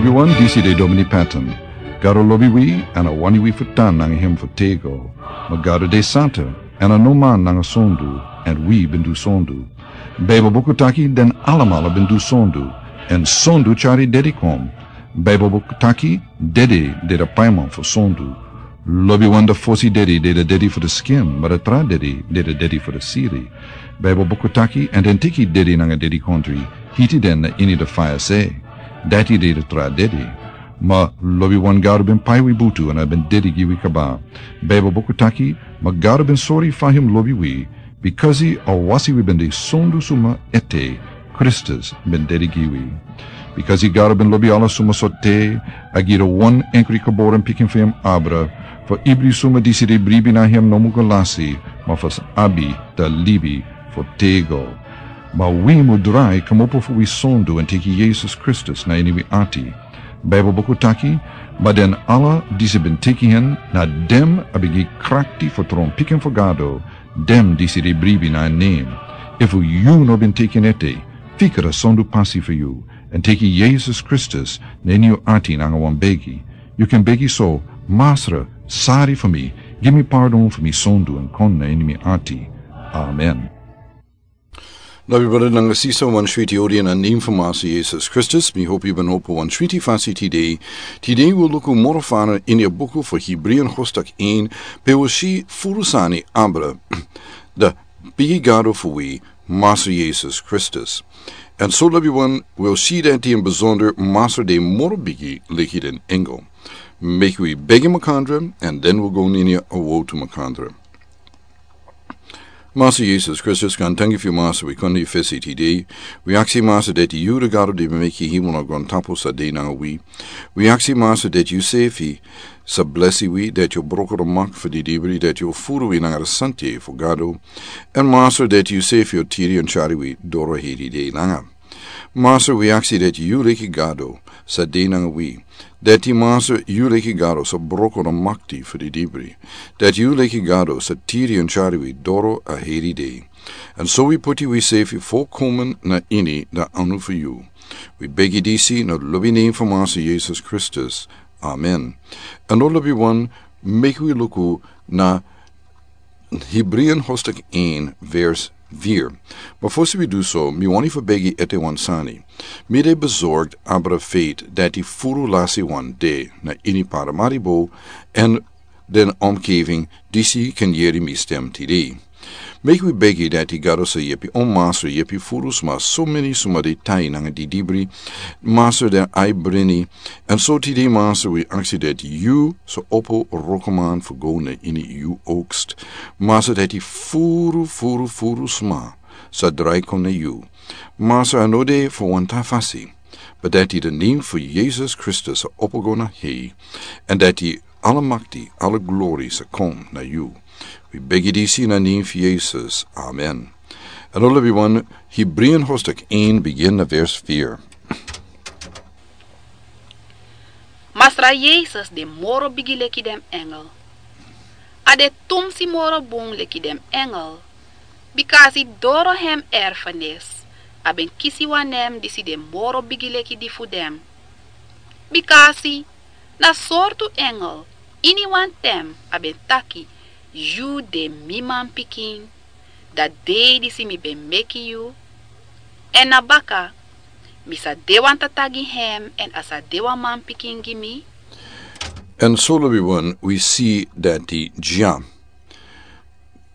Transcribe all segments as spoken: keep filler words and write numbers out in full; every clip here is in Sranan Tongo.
Wi wan disi de Domini Patton. Gado lobi wi, èn a wani wi fu tan nanga hem fu tego. Ma Gado de santa, èn a no man nanga sondu, èn wi ben du sondu. Baibel buku taki den alamala ben du sondu, èn sondu tyari dedi kon. Baibel buku taki dedi de de paiman fu sondu. Lobiwan de fosi dedi de de dedi fu de skin, ma de tra dedi de de dedi fu de siri. Baibel buku taki, èn den teki dedi nanga dedikontri, hiti den na ini de faya se. Dati de de tra dedi. Ma lobiwan Gado ben pai wi butu èn a ben dedi gi wi kaba. Baibel buku taki, ma Gado ben sori fa hem lobi wi, bikasi a wasi wi ben de sondu suma ete, Kristus ben dedi gi wi. Bikasi Gado ben lobi ala suma so te, a gi de wan enkri kaboren pikin fu hem abra, fu ibri suma disi de bribi na hem no mu go lasi, ma fu abi de libi fu tego. Ma wi mu drai kmopo fu wi sondu èn teki Yesus Kristus na ini wi ati. Baibel buku taki, ma den ala disi ben teki hen, na dem a ben gi krakti fu tron pikin fu Gado, dem disi de bribi na en nen. Efu yu no ben teki en ete, fika de sondu pasi fu yu, èn teki Yesus Kristus na ini yu ati nanga wan begi. Yu kan begi so, Masra, sari fu mi, gi mi pardon fu mi sondu èn kon na ini mi ati. Amen. Lobi brada nanga sisa, wan switi odi na nen fu Masra Yesus Kristus, mi hopi yu ben opo wan switi fasi tide. Tide wi luku moro fana ini a buku fu Hebreeën hoofdstuk één, pe wi si furu sani abra de bigi Gado fu wi, Masra Yesus Kristus. Èn so lobiwan, wi si dati ini besonder Masra de moro bigi leki den engel. Meki wi begi makandra, èn den wi go ini a wotu makandra. Masra Yesus Kristus, gaantangi fu yu Masra, wi kon na yu fesi tide. Wi aksi Masra dati yu de Gado di ben meki hemel nanga grontapu sa de nanga wi. Wi aksi Masra dati yu sefi sa blesi wi, dati yu o broko de mak fu didibri, dati yu o furu wi nanga de santa fu Gado. Èn Masra dati yu sefi o tiri èn tyari wi doro heri de langa. Masra, wi aksi dati yu leki Gado sa de nanga wi. Dati Masra, yu leki Gado sa broko na makti fu didibri. Dati yu leki Gado sa tiri èn tyari wi doro a heri de. Èn so wi poti wi sefi folkomen na ini de anu fu yu. Wi begi disi na lobi nen fu Masra Yesus Kristus. Amen. Èn lobiwan, meki wi luku na Hebreeën hoofdstuk één, vers vier. Ma fosi wi du so, mi wani fu begi ete wan sani. Mi de bezorgd abra feit dati furu lasi wan de na ini Paramaribo èn den omgeving disi kan yeri mi stem tide. Meki wi begi dati Gado sa yepi, o Masra, yepi furu sma, so meni sma de tai nanga didibri, Masra, den ai brini, èn so tide Masra wi aksi dati yu sa opo wrokoman fu go na ini yu oogst. Masra, dati furu, furu, furu sma sa drai kon na yu. Masra, a no de fu wan tra fasi, ma dati de nen fu Yesus Kristus sa opo go na hei, èn dati ala makti, ala glori sa kon na yu. Wi begi disi na nen fu Yesus. Amen. Èn lobiwan, Hebreeën hoofdstuk één, begin na vers vier. Masra Yesus de moro bigi leki den engel. A de tumsi moro bun leki den engel. Bikasi doro hem erfenis, a ben kisi wan nen disi de moro bigi leki di fu den. Bikasi na sortu engel, ini wan tem a ben taki, yu de mi manpikin, da dei disi mi ben meki yu, èn na baka, mi sa de wan tata gi hem, èn a sa de wan manpikin gi mi. Èn so lobiwan, wi si dati dya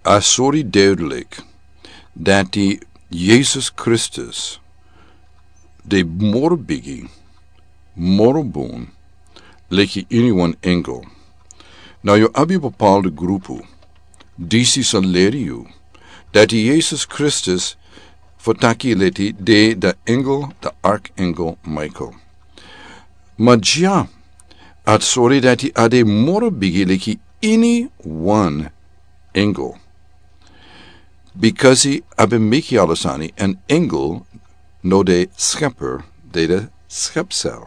a sori duidelijk dati Yesus Kristus de moro bigi, moro bun, leki ini wan engel. Now yu abi bepaalde grupu disi sa leri yu dati Yesus Kristus fu taki leti de de engel, de arkengel Michael. Ma dya a sori dati a de moro bigi leki ini wan engel. Bikasi a ben meki ala sani, èn engel no de schepper, de de schepsel.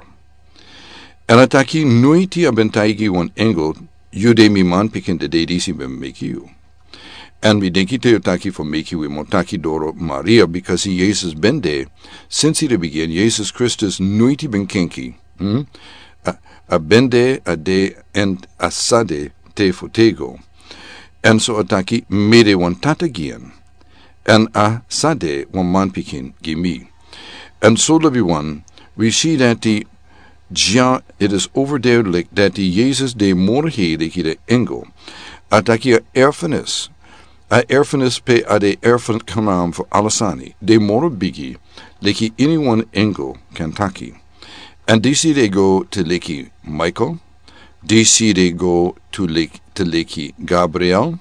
Èn a taki noiti a ben taigi wan engel, yu de mi manpikin de dei disi ben meki yu. Èn mi denki te yu taki fu meki wi mu taki doro Maria, bikasi Yesus ben de, sinsi de bigin, Yesus Kristus noiti ben kenki Hmm? A, a ben de, a de, èn a sa de te fu tego. Èn so a taki, mi de wan tata gi en. Èn a sa de wan manpikin gi mi. Èn so, lobiwan, wi si dati dya, it is overduidelijk dati Yesus de moro hei leki den engel. A taki a erfenis, a erfenis pe a de erfenis, knaam fu ala sani, de moro bigi leki iniwan engel kan taki. Èn disi de go te leki Michael, disi de go te leki, te leki Gabriel,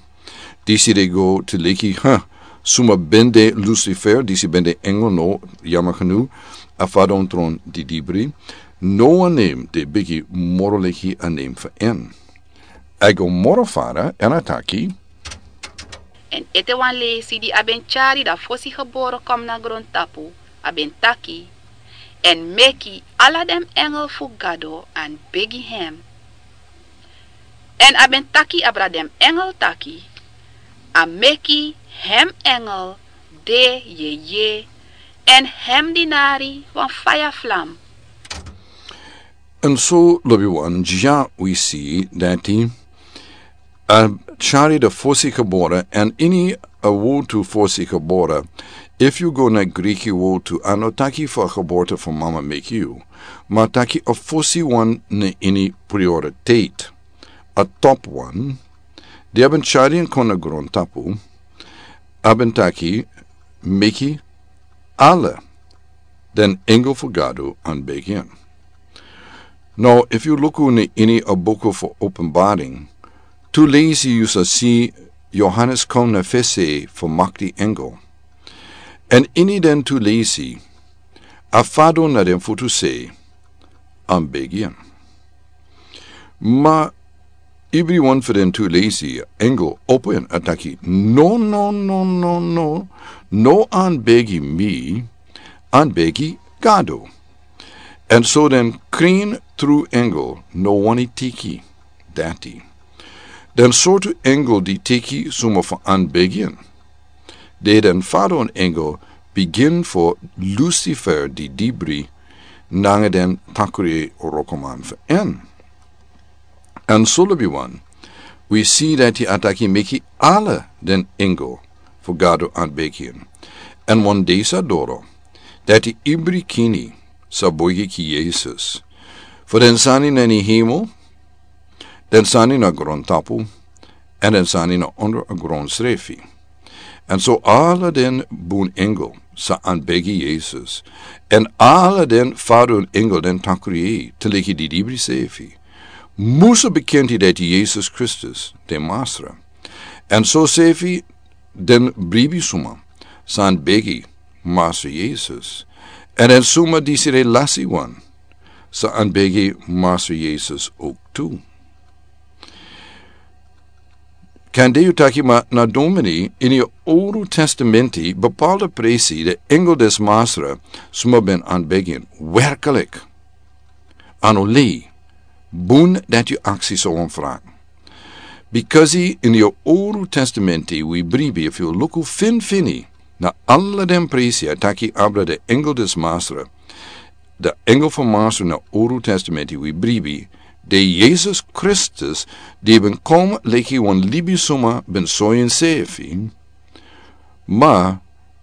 disi de go te leki, ha, suma ben de Lucifer, disi ben de engel, no, yamagenu, a fadon tron di dibri. No wan nen de bigi moro leki a nen fu en. A go moro fara, èn a taki. Èn ete wan leisi di a ben tyari da fosi gebore kon na grontapu, a ben taki, èn meki ala den engel fu Gado anbegi hem. Èn a ben taki abra den engel taki, a meki hem engel de yeye, èn hem dinari wan faya flam. Èn so, lobiwan, dya wi si dati a tyari da fosi gebore, èn ini a wortu fosi gebore, efu yu go na Griki wortu, a no taki fu a geboorte fu mama meki yu, ma a taki a fosi wan na ini prioriteit, a top wan, di a ben tyari en kon na grontapu, a ben taki meki ala den engel fu Gado anbegi en. Now, efu yu luku na ini a buku fu Openbaring, tu leisi yu sa si Yohanes kon na fesi fu makti engel. Èn ini den tu leisi, a fadon na den futu sei, anbegi en. Ma ibri wan fu den tu leisi, engel opo en, a taki, no, no, no, no, no, no anbegi mi, anbegi Gado. Èn so den krin tru engel no wani teki dati. Den sortu engel di teki suma fu anbegi en, de den fadon engel bigin fu Lucifer di dibri nanga den takri wrokoman fu en. Èn so, lobiwan, wi si dati a taki meki ala den engel fu Gado anbegi en. Èn wan dei sa doro, dati ibri kini sa boigi gi Yesus. Fu den sani na ini hemel, den sani na grontapu, èn den sani na onder a gron srefi. Èn so ala den bun engel sa anbegi Yesus. Èn ala den fadon engel den takri, te leki di dibri sefi, musu bekenti dati Yesus Kristus de Masra. Èn so sefi den bribi suma sa anbegi Masra Yesus. Èn den suma disi de lasi wan sa anbegi Masra Yesus ook tu. Kande yu taki, ma na domini, ini a Oru Testamenti, bepaalde presi, de engel des Masra, suma ben anbegi en, werkelijk. A no lei, bun dati yu aksi so wan vraag. Bikasi ini a Oru Testamenti wi bribi, efu yu luku finfini, na ala den presi a taki abra de engel des Masra, de engel fu Masra na Oru Testamenti wi bribi, de Yesus Kristus, di ben kon leki wan libisuma ben sori ensefi, ma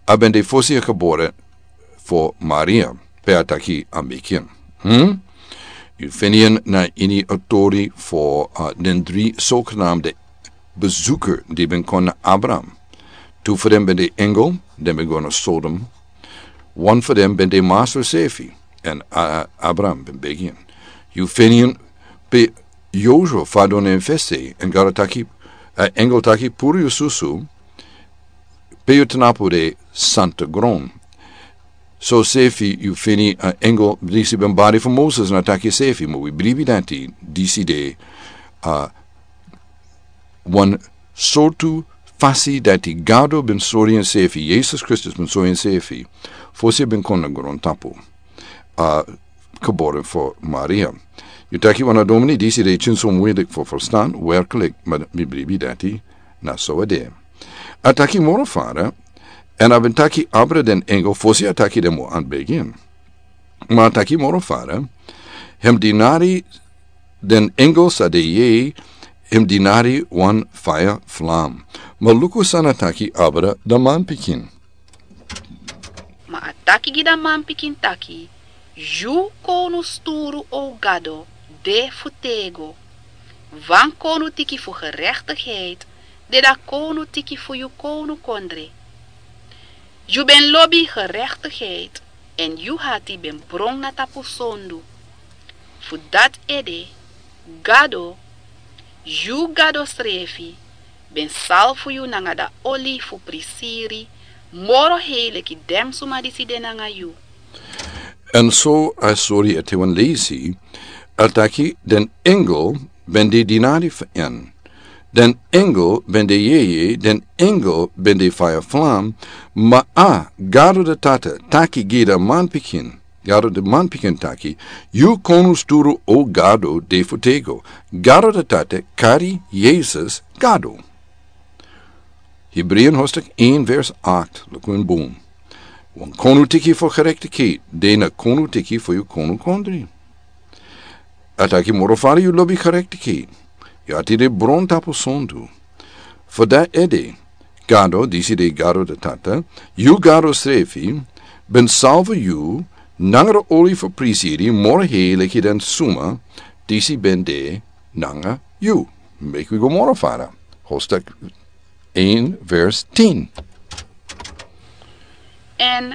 a ben de fosi a gebore fu Maria, pe a taki a meki en. Hmm? Yu feni en na ini a tori fu, uh, den dri zogenaamde bezoeker di ben kon na Abraham. Tu fu den ben de engel, den ben go na Sodom. Wan fu den ben de Masra sefi, èn, uh, Abraham ben begi en. Yu feni en pe Yosua fadon na en fesi, èn Gado taki, uh, engel taki puru yu susu, pe yu tnapu de santa gron. So sefi yu feni, uh, engel disi ben bari fu Moses na taki sefi, ma wi bribi dati, disi de, uh, wan sortu fasi dati Gado ben sori ensefi, Yesus Kristus ben sori ensefi, fosi ben kon na grontapu, uh, gebore fu Maria. Yu taki wan na domini, disi de tyin so muilik fu verstan, werkelijk, ma mi bribi dati, na so a de. A taki moro fara, èn a ben taki abra den engel, fosi a taki den mu anbegi en. Ma a taki moro fara, Hem dinari den engel sa de yei, hem dinari wan faya flam. Ma luku san a taki abra dan manpikin. Ma a taki gi dan manpikin taki: Yu konu sturu, o Gado, de fu tego. Wan konu tiki fu gerechtigheid de dan konu tiki fu yu konu kondre. Yu ben lobi gerechtigheid, èn yu hati ben bron na tapu sondu. Fu dati ede, Gado, yu Gado srefi, ben salfu yu nanga dan oli fu prisiri moro hei leki den suma disi de nanga yu. Èn so a sori ete wan leisi, a taki den engel ben de dinari fu en. Den engel ben de yeye, den engel ben de faya flam, ma a Gado de Tata taki gi den manpikin. Gado de manpikin taki: Yu konu sturu, o Gado, de fu tego. Gado de Tata kari Yesus Gado. Hebreeën hoofdstuk één vers acht, luku en bun. Wan konu tiki fu gerechtigheid de na konu tiki fu yu konu kondre. A taki moro fari yu lobi gerechtigheid. Yu hati de bron tapu sondu. Fu dati ede, Gado, disi de Gado de Tata, yu Gado srefi, ben salfu yu nanga dan oli fu prisiri moro hei leki den suma disi ben de nanga yu. Meki wi go moro fara. Hoofdstuk één vers tien. Èn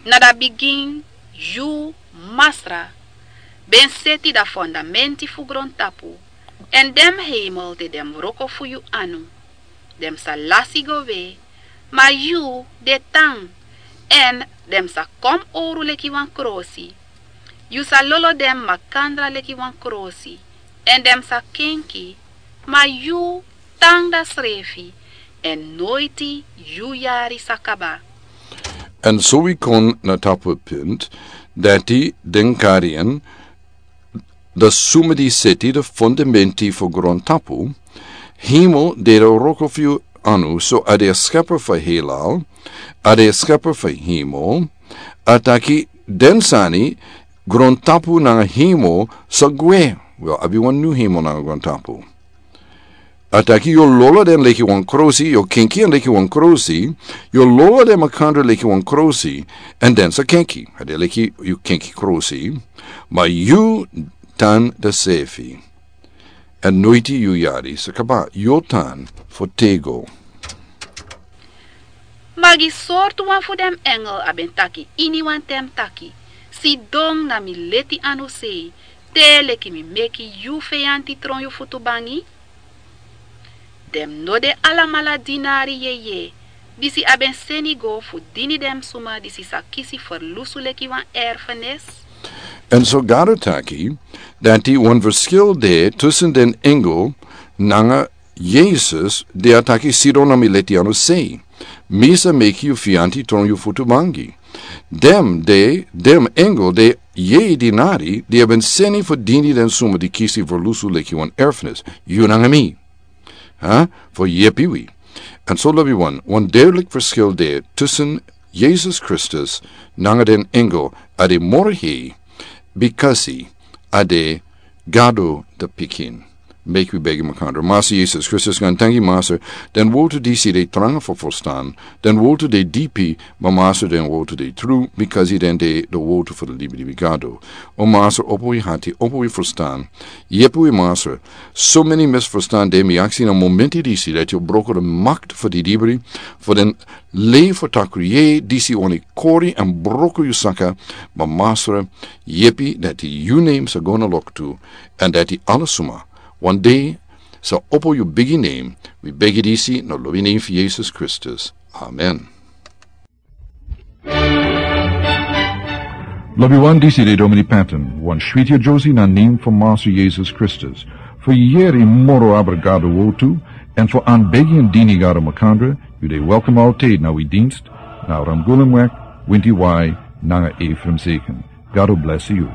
na dan bigin yu, Masra, ben seti dan fondamenti fu grontapu, èn den hemel de den wroko fu yu anu. Den sa lasi go we, ma yu de tan, èn den sa kon owru leki wan krosi. Yu sa lolo den makandra leki wan krosi, èn den sa kenki, ma yu tan dan srefi, èn noiti yu yari sa kaba. Èn so wi kon na tapu punt dati den kari en, dan suma di seti dan fondamenti fu grontapu. Hemel de dan wroko fu yu anu, so a de a skepper fu heilal, a de a skepper fu hemel. A taki den sani, grontapu nanga hemel sa gwe. Wel, abi wan nyun hemel nanga grontapu. A taki yu o lolo den leki wan krosi, yu o kenki en leki wan krosi, yu o lolo den makandra leki wan krosi, èn den sa kenki. A de leki yu kenki krosi, ma yu tan dan srefi. Èn noiti yu yari sa kaba, yu o tan fu tego. Ma gi sortu wan fu den engel a ben taki ini wan tem taki: Sidon na mi leti anu sei, te leki mi meki yu feyanti tron yu futu bangi. Den no de alamala dinari yeye, disi a ben seni go fu dini den suma disi sa kisi ferlusu leki wan erfenis. Èn so Gado taki dati wan verschil de tussen den engel nanga Yesus, di a taki: Sidon na mi leti anu sei, mi sa meki yu feyanti tron yu futu bangi. Den de, den engel de yeye dinari di a ben seni fu dini den suma di kisi ferlusu leki wan erfenis, yu nanga mi. Ha? Fu yepi wi. Èn so lobi wan, wan duidelijk verschil de tussen Yesus Kristus nanga den engel, a de moro hei, bikasi a de Gado de Pikin. Meki wi begi makandra. Masra Yesus Kristus, gan tangi Masra, den wortu disi de tranga fu ferstan, den wortu de dipi, ma Masra den wortu de tru, bikasi den de de wortu fu de libilibi Gado. O Masra, opo wi hati, opo wi ferstan, yepi wi Masra. So many misverstand de, mi aksi na momenti disi dati yu broko de makti fu di dibri, fu den lei fu takru yeye disi wani kori èn broko yu saka, ma Masra, yepi dati yu nen sa go na loktu, èn dati ala suma wan dei sa opo yu bigi nen. Wi begi disi na lobi nen fu Yesus Kristus. Amen. Lobi wan, disi de Domini Patton, wan switi adyusi na nen fu Masra Yesus Kristus. Fu yere moro abra Gado wortu, èn fu anbegi èn dini Gado makandra, yu de welkom altijd na wi dienst, na Ramgulemweg, winti wai, nanga Ephraim Zeken. Gado blesi yu.